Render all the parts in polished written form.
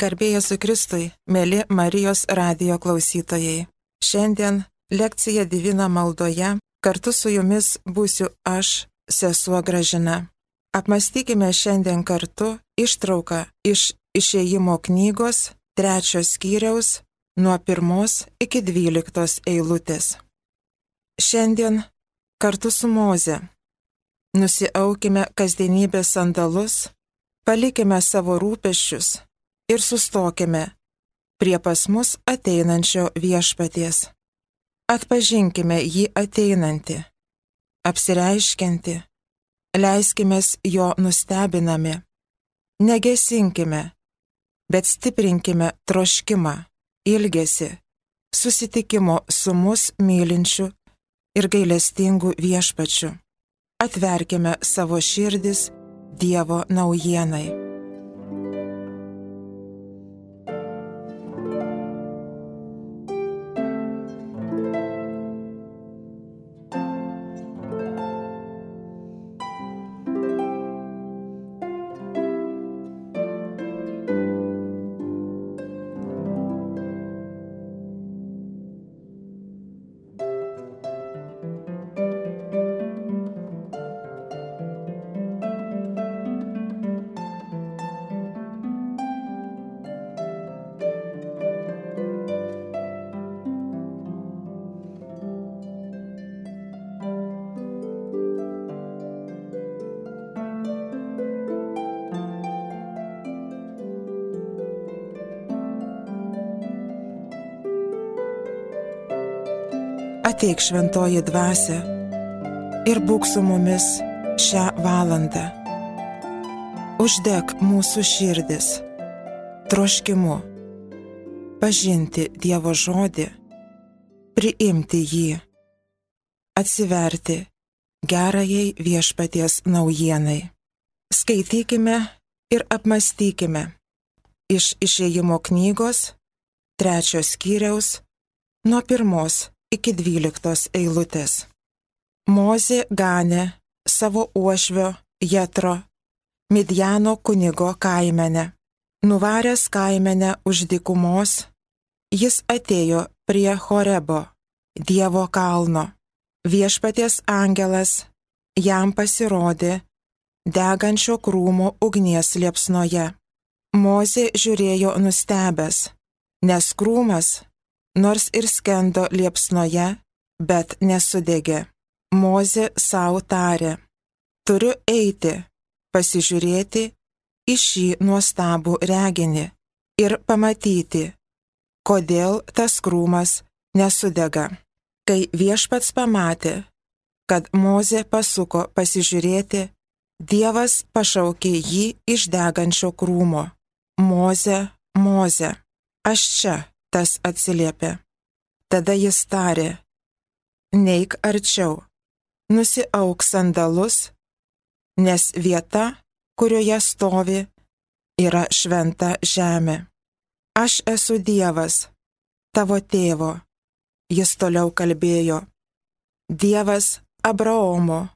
Garbė Jėzui Kristui, mėly Marijos radijo klausytojai. Šiandien lekcija Divina maldoje kartu su jumis būsiu aš, sesuo Gražina. Apmąstykime šiandien kartu ištrauką iš Išėjimo knygos 3 skyriaus nuo 1 iki 12 eilutės. Šiandien kartu su Moze nusiaukime kasdienybės sandalus, palikime savo rūpesčius ir sustokime prie pas mus ateinančio Viešpaties. Atpažinkime jį ateinantį, apsireiškiantį, leiskimės jo nustebinami, negesinkime, bet stiprinkime troškimą, ilgesį, susitikimo su mus mylinčiu ir gailestingu Viešpačiu. Atverkime savo širdis Dievo naujienai. Ateik šventoji dvasia ir būk su mumis šią valandą. Uždek mūsų širdis troškimu pažinti Dievo žodį, priimti jį, atsiverti gerajai Viešpaties naujienai. Skaitykime ir apmąstykime iš Išėjimo knygos 3 skyriaus nuo 1 iki 12 eilutės. Mozė ganė savo uošvio Jetro, Midjano kunigo kaimenę. Nuvaręs kaimenę už dykumos, jis atėjo prie Horebo, Dievo kalno. Viešpaties angelas jam pasirodė degančio krūmo ugnies liepsnoje. Mozė žiūrėjo nustebęs, nes krūmas nors ir skendo liepsnoje, bet nesudegė. Mozė sau tarė: turiu eiti, pasižiūrėti į šį nuostabų reginį ir pamatyti, kodėl tas krūmas nesudega. Kai Viešpats pamatė, kad Mozė pasuko pasižiūrėti, Dievas pašaukė jį iš degančio krūmo: Moze, Moze. Aš čia. Tas atsiliepė. Tada jis tarė: neik arčiau, nusiauk sandalus, nes vieta, kurioje stovi, yra šventa žemė. Aš esu Dievas, tavo tėvo. Jis toliau kalbėjo: Dievas Abraomo,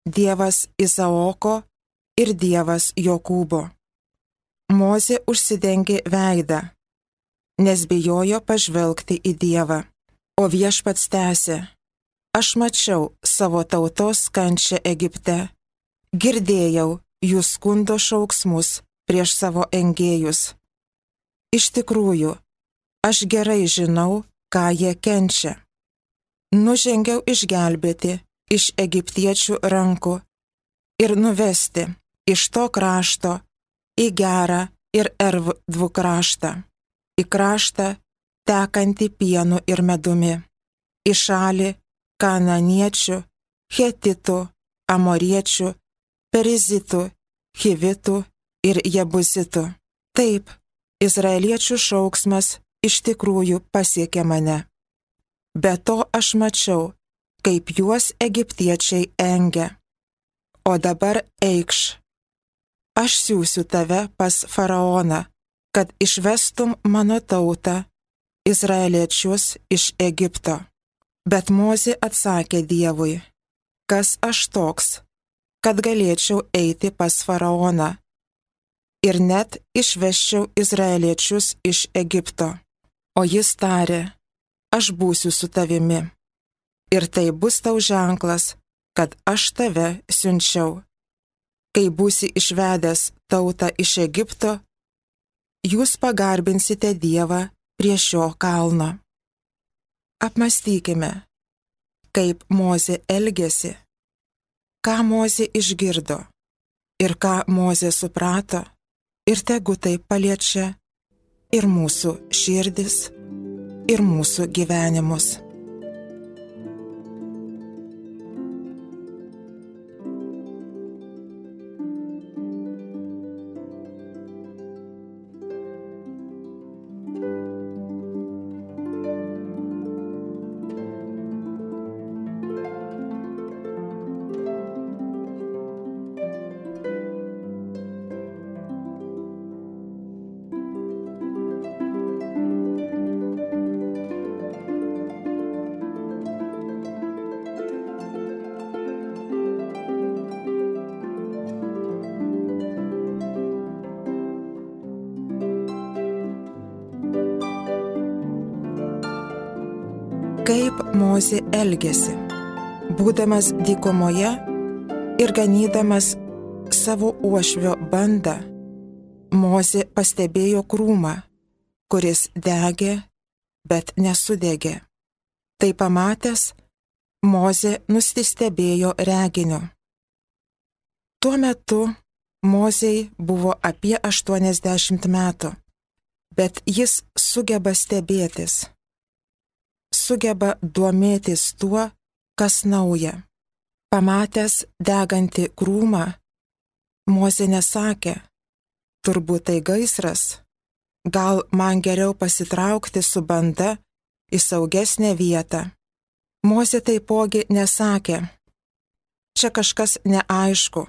Dievas Izaoko ir Dievas Jokūbo. Mozė užsidengė veidą, nes bijojo pažvelgti į Dievą. O Viešpats tęsė: aš mačiau savo tautos kančią Egipte, girdėjau jų skundo šauksmus prieš savo engėjus. Iš tikrųjų, aš gerai žinau, ką jie kenčia. Nužengiau išgelbėti iš egiptiečių rankų ir nuvesti iš to krašto į gerą ir erdvų kraštą, į kraštą tekantį pienu ir medumi, į šalį kananiečių, hetitų, amoriečių, perizitų, hivitų ir jebuzitų. Taip, izraeliečių šauksmas iš tikrųjų pasiekė mane. Be to aš mačiau, kaip juos egiptiečiai engia. O dabar eikš. Aš siųsiu tave pas faraoną, kad išvestum mano tautą, izraeliečius iš Egipto. Bet Mozė atsakė Dievui: kas aš toks, kad galėčiau eiti pas faraoną? ir net išvesčiau izraeliečius iš Egipto. O jis tarė, aš būsiu su tavimi. Ir tai bus tau ženklas, kad aš tave siunčiau. Kai būsi išvedęs tautą iš Egipto, jūs pagarbinsite Dievą prie šio kalno. Apmąstykime, kaip Mozė elgėsi, ką Mozė išgirdo ir ką Mozė suprato, ir tegu tai paliečia ir mūsų širdis, ir mūsų gyvenimus. Kaip Mozė elgėsi, būdamas dykumoje ir ganydamas savo uošvio bandą, Mozė pastebėjo krūmą, kuris degė, bet nesudegė. Tai pamatęs, Mozė nusistebėjo reginiu. Tuo metu Mozei buvo apie 80 metų, bet jis sugeba stebėtis, sugeba domėtis tuo, kas nauja. Pamatęs degantį krūmą, Mozė nesakė, turbūt tai gaisras, gal man geriau pasitraukti su banda į saugesnę vietą. Mozė taipogi nesakė, čia kažkas neaišku,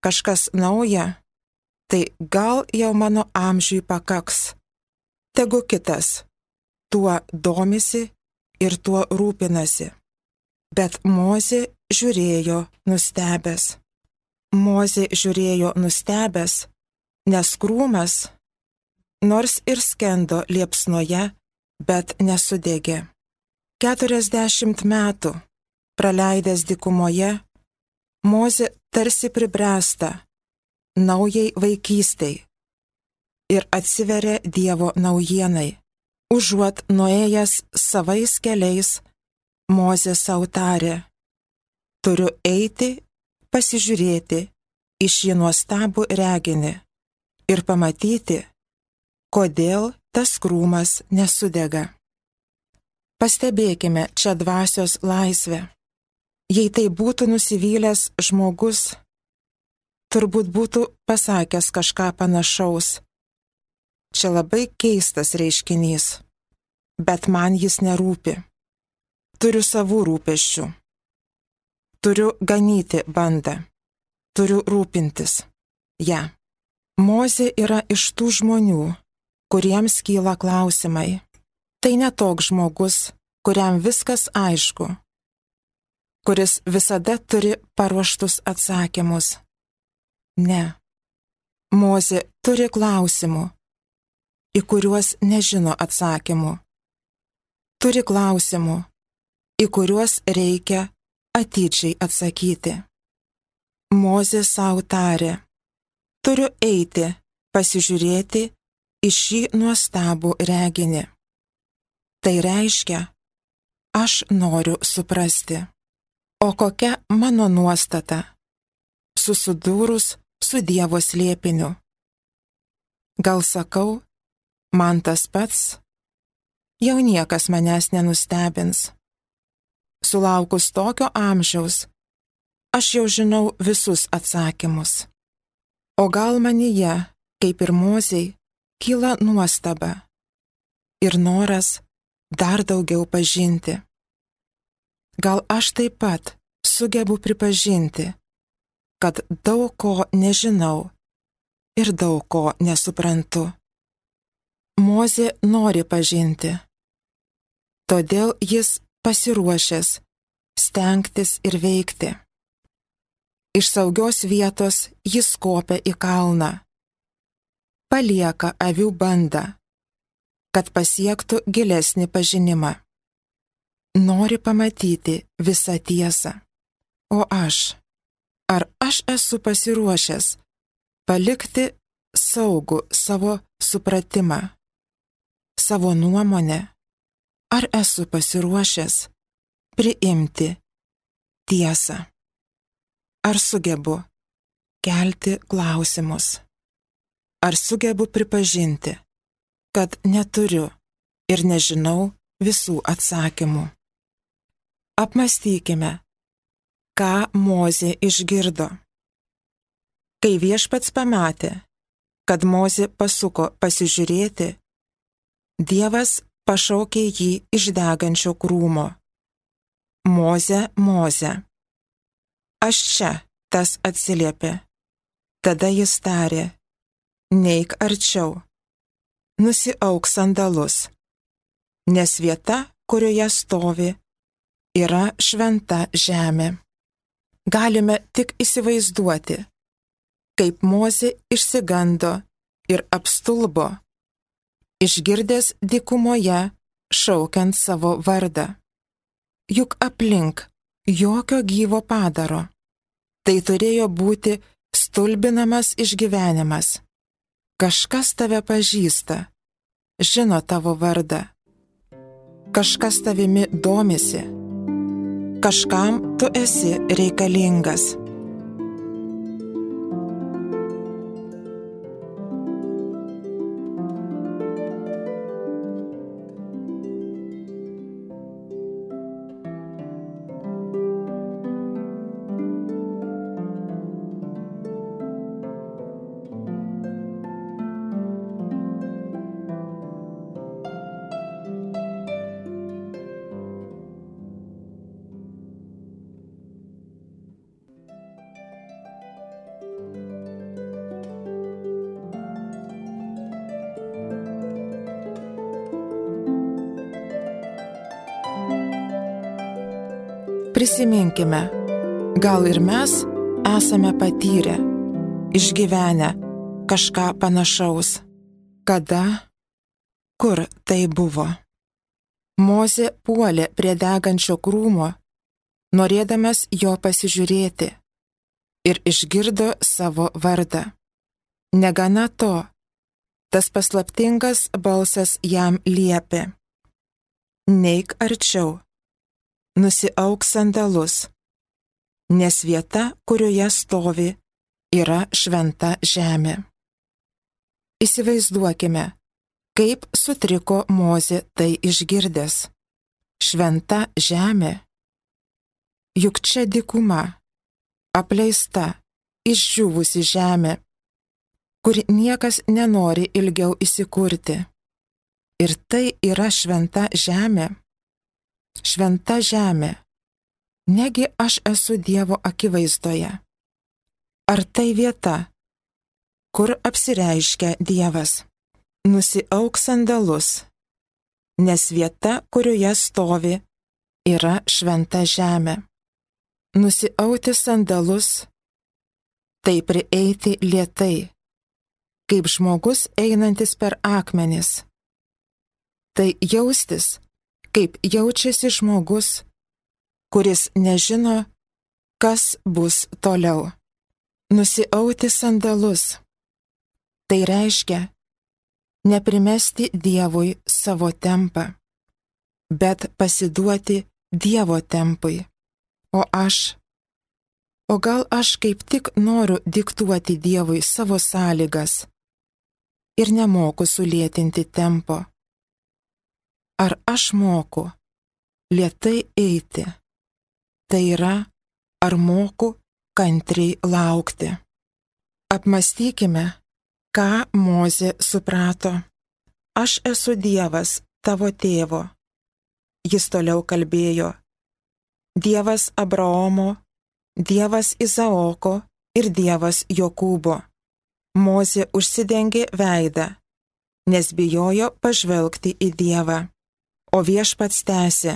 kažkas nauja, tai gal jau mano amžiui pakaks. Tegu kitas tuo domisi ir tuo rūpinasi. Bet Mozė žiūrėjo nustebęs. Mozė žiūrėjo nustebęs, nes krūmas, nors ir skendo liepsnoje, bet nesudegė. 40 metų praleidęs dykumoje, Mozė tarsi pribręsta naujai vaikystei ir atsiveria Dievo naujienai. Užuot nuėjęs savais keliais, Mozė sau tarė, turiu eiti, pasižiūrėti į šį nuostabų reginį ir pamatyti, kodėl tas krūmas nesudega. Pastebėkime čia dvasios laisvę. Jei tai būtų nusivylęs žmogus, turbūt būtų pasakęs kažką panašaus. Čia labai keistas reiškinys, bet man jis nerūpi. Turiu savų rūpesčių. Turiu ganyti bandą. Turiu rūpintis. Ja. Mozė yra iš tų žmonių, kuriems kyla klausimai. Tai ne toks žmogus, kuriam viskas aišku, kuris visada turi paruoštus atsakymus. Ne. Mozė turi klausimų, į kuriuos nežino atsakymų. Turi klausimų, į kuriuos reikia atidžiai atsakyti. Mozė sau tarė, turiu eiti, pasižiūrėti į šį nuostabų reginį. Tai reiškia, aš noriu suprasti, o kokia mano nuostata, susidūrus su Dievo slėpiniu. Gal sakau, man tas pats, jau niekas manęs nenustebins. Sulaukus tokio amžiaus, aš jau žinau visus atsakymus. O gal manyje, kaip ir Mozei, kyla nuostaba ir noras dar daugiau pažinti. Gal aš taip pat sugebu pripažinti, kad daug ko nežinau ir daug ko nesuprantu. Mozė nori pažinti, todėl jis pasiruošęs stengtis ir veikti. Iš saugios vietos jis kopia į kalną, palieka avių bandą, kad pasiektų gilesnį pažinimą. Nori pamatyti visą tiesą. O ar aš esu pasiruošęs palikti saugų savo supratimą, savo nuomonę? Ar esu pasiruošęs priimti tiesą? Ar sugebu kelti klausimus? Ar sugebu pripažinti, kad neturiu ir nežinau visų atsakymų? Apmąstykime, ką Mozė išgirdo. Kai Viešpats pamatė, kad Mozė pasuko pasižiūrėti, Dievas pašaukė jį iš degančio krūmo. Moze, Moze. Aš čia, tas atsiliepė. Tada jis tarė, neik arčiau, nusiauk sandalus, nes vieta, kurioje stovi, yra šventa žemė. Galime tik įsivaizduoti, kaip Mozė išsigando ir apstulbo, išgirdęs dykumoje šaukiant savo vardą. Juk aplink jokio gyvo padaro. Tai turėjo būti stulbinamas išgyvenimas. Kažkas tave pažįsta, žino tavo vardą. Kažkas tavimi domisi. Kažkam tu esi reikalingas. Prisiminkime, gal ir mes esame patyrę, išgyvenę kažką panašaus. Kada, kur tai buvo? Mozė puolė prie degančio krūmo, norėdamas jo pasižiūrėti, ir išgirdo savo vardą. Negana to, tas paslaptingas balsas jam liepė: neik arčiau, nusiauk sandalus, nes vieta, kurioje stovi, yra šventa žemė. Įsivaizduokime, kaip sutriko Mozė tai išgirdęs. Šventa žemė. Juk čia dykuma, apleista, išdžiūvusi žemė, kur niekas nenori ilgiau įsikurti. Ir tai yra šventa žemė. Šventa žemė. Negi aš esu Dievo akivaizdoje. Ar tai vieta, kur apsireiškia Dievas? Nusiauk sandalus, nes vieta, kurioje stovi, yra šventa žemė. Nusiauti sandalus, tai prieiti lėtai, kaip žmogus einantis per akmenis. Tai jaustis, kaip jaučiasi žmogus, kuris nežino, kas bus toliau. Nusiauti sandalus. Tai reiškia neprimesti Dievui savo tempą, bet pasiduoti Dievo tempui. O gal aš kaip tik noriu diktuoti Dievui savo sąlygas ir nemoku sulėtinti tempo. Ar aš moku lėtai eiti? Tai yra, ar moku kantriai laukti? Apmąstykime, ką Mozė suprato. Aš esu Dievas tavo tėvo. Jis toliau kalbėjo. Dievas Abraomo, Dievas Izaoko ir Dievas Jokūbo. Mozė užsidengė veidą, nes bijojo pažvelgti į Dievą. O Viešpats tęsė: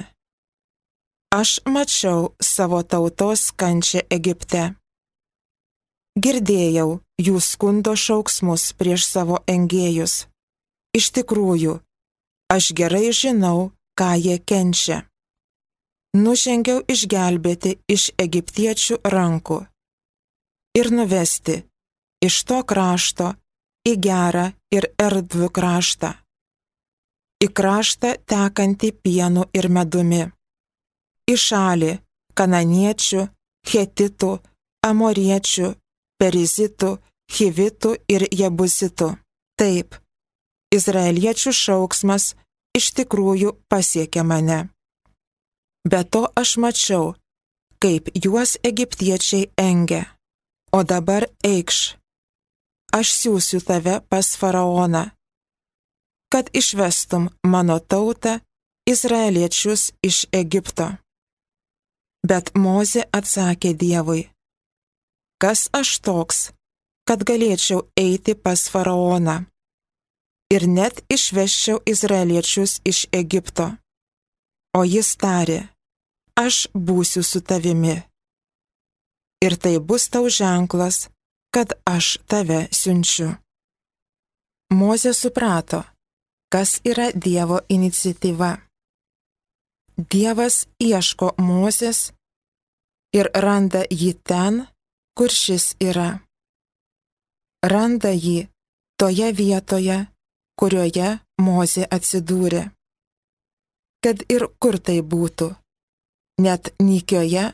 aš mačiau savo tautos kančią Egipte. Girdėjau jų skundo šauksmus prieš savo engėjus. Iš tikrųjų, aš gerai žinau, ką jie kenčia. Nužengiau išgelbėti iš egiptiečių rankų ir nuvesti iš to krašto į gerą ir erdvų kraštą, į kraštą tekantį pienu ir medumi, į šalį kananiečių, hetitų, amoriečių, perizitų, hivitų ir jebusitų. Taip, izraeliečių šauksmas iš tikrųjų pasiekė mane. Be to aš mačiau, kaip juos egiptiečiai engia. O dabar eikš, aš siųsiu tave pas faraoną, kad išvestum mano tautą, izraeliečius iš Egipto. Bet Mozė atsakė Dievui, kas aš toks, kad galėčiau eiti pas faraoną ir net išvesčiau izraeliečius iš Egipto. O jis tarė, aš būsiu su tavimi. Ir tai bus tau ženklas, kad aš tave siunčiu. Mozė suprato, kas yra Dievo iniciatyva. Dievas ieško Mozės ir randa jį ten, kur šis yra. Randa jį toje vietoje, kurioje Mozė atsidūrė. Kad ir kur tai būtų, net nykioje,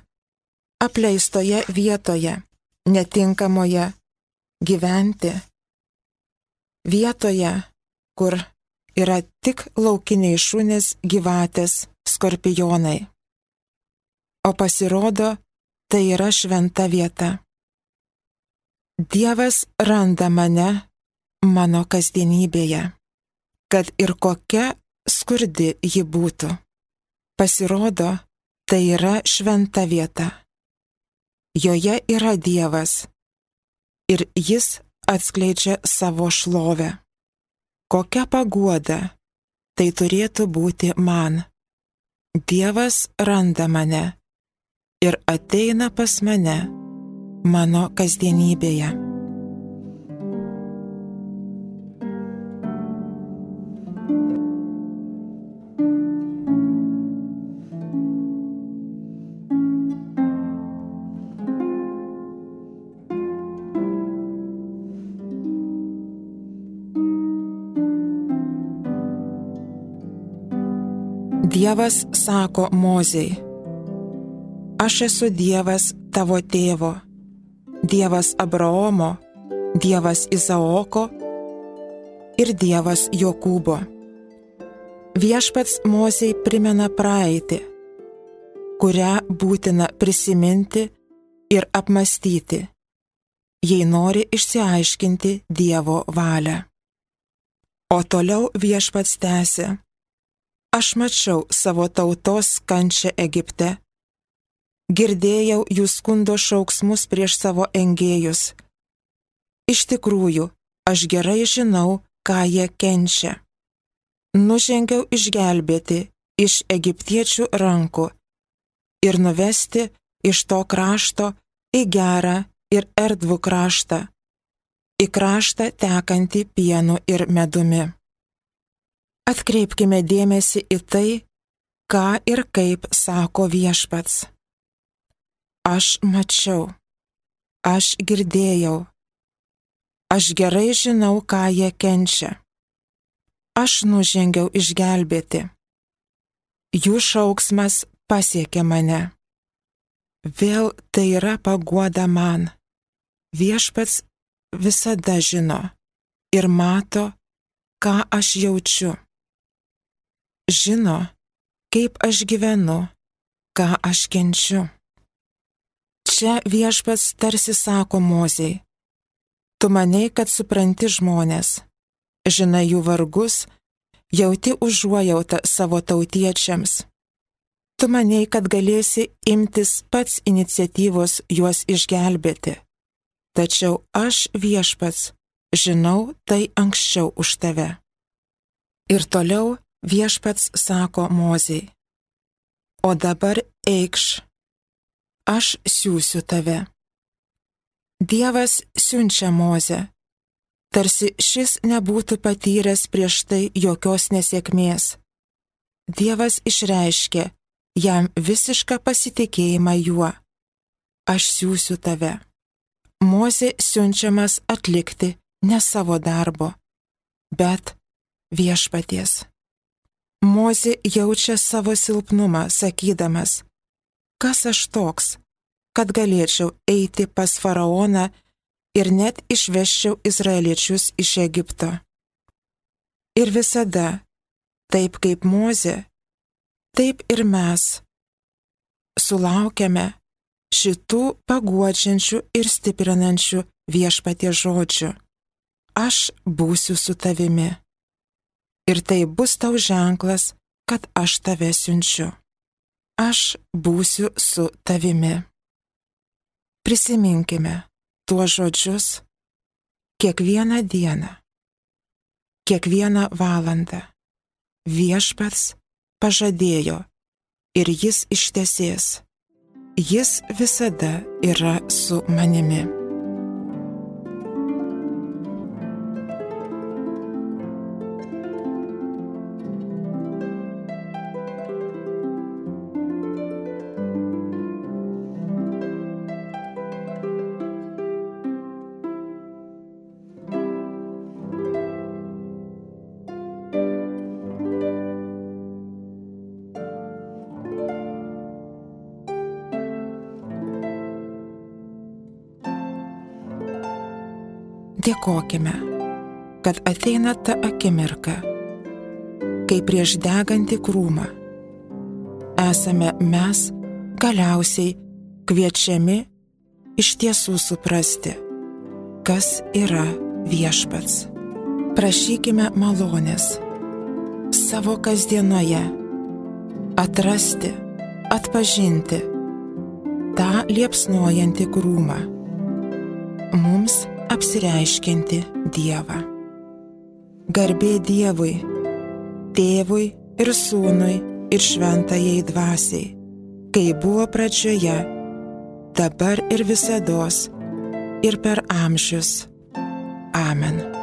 apleistoje vietoje, netinkamoje gyventi, vietoje, kur yra tik laukiniai šunys, gyvatės, skorpionai. O pasirodo, tai yra šventa vieta. Dievas randa mane mano kasdienybėje, kad ir kokia skurdi ji būtų. Pasirodo, tai yra šventa vieta. Joje yra Dievas ir jis atskleidžia savo šlovę. Kokia paguoda tai turėtų būti man. Dievas randa mane ir ateina pas mane mano kasdienybėje. Dievas sako Mozei, aš esu Dievas tavo tėvo, Dievas Abraomo, Dievas Izaoko ir Dievas Jokūbo. Viešpats Mozei primena praeitį, kurią būtina prisiminti ir apmąstyti, jei nori išsiaiškinti Dievo valią. O toliau viešpats tęsė, aš mačiau savo tautos kančią Egipte, girdėjau jų skundo šauksmus prieš savo engėjus. Iš tikrųjų, aš gerai žinau, ką jie kenčia. Nužengiau išgelbėti iš egiptiečių rankų ir nuvesti iš to krašto į gerą ir erdvų kraštą, į kraštą tekantį pienu ir medumi. Atkreipkime dėmesį į tai, ką ir kaip sako viešpats. Aš mačiau, aš girdėjau, aš gerai žinau, ką jie kenčia. Aš nužengiau išgelbėti. Jų šauksmas pasiekė mane. Vėl tai yra paguoda man. Viešpats visada žino ir mato, ką aš jaučiu. Žino, kaip aš gyvenu, ką aš kenčiu. Čia viešpats tarsi sako Mozei, tu manei, kad supranti žmonės, žinai jų vargus, jauti užuojautą savo tautiečiams. Tu manei, kad galėsi imtis pats iniciatyvos juos išgelbėti. Tačiau aš viešpats žinau tai anksčiau už tave. Ir toliau viešpats sako Mozei, o dabar eikš, aš siųsiu tave. Dievas siunčia Mozę, tarsi šis nebūtų patyręs prieš tai jokios nesėkmės. Dievas išreiškė jam visišką pasitikėjimą juo. Aš siųsiu tave. Mozė siunčiamas atlikti ne savo darbo, bet viešpaties. Mozė jaučia savo silpnumą, sakydamas, kas aš toks, kad galėčiau eiti pas faraoną ir net išveščiau izraeliečius iš Egipto. Ir visada, taip kaip Mozė, taip ir mes sulaukiame šitų paguodžiančių ir stiprinančių viešpaties žodžių. Aš būsiu su tavimi. Ir tai bus tau ženklas, kad aš tave siunčiu. Aš būsiu su tavimi. Prisiminkime tuos žodžius kiekvieną dieną, kiekvieną valandą. Viešpats pažadėjo ir jis ištesės. Jis visada yra su manimi. Dėkokime, kad ateina ta akimirka, kai prieš degantį krūmą esame mes galiausiai kviečiami iš tiesų suprasti, kas yra viešpats. Prašykime malonės savo kasdienoje atrasti, atpažinti tą liepsnojantį krūmą, mums apsireiškianti Dievą. Garbė Dievui, Tėvui ir Sūnui ir Šventajai Dvasiai, kai buvo pradžioje, dabar ir visados, ir per amžius. Amen.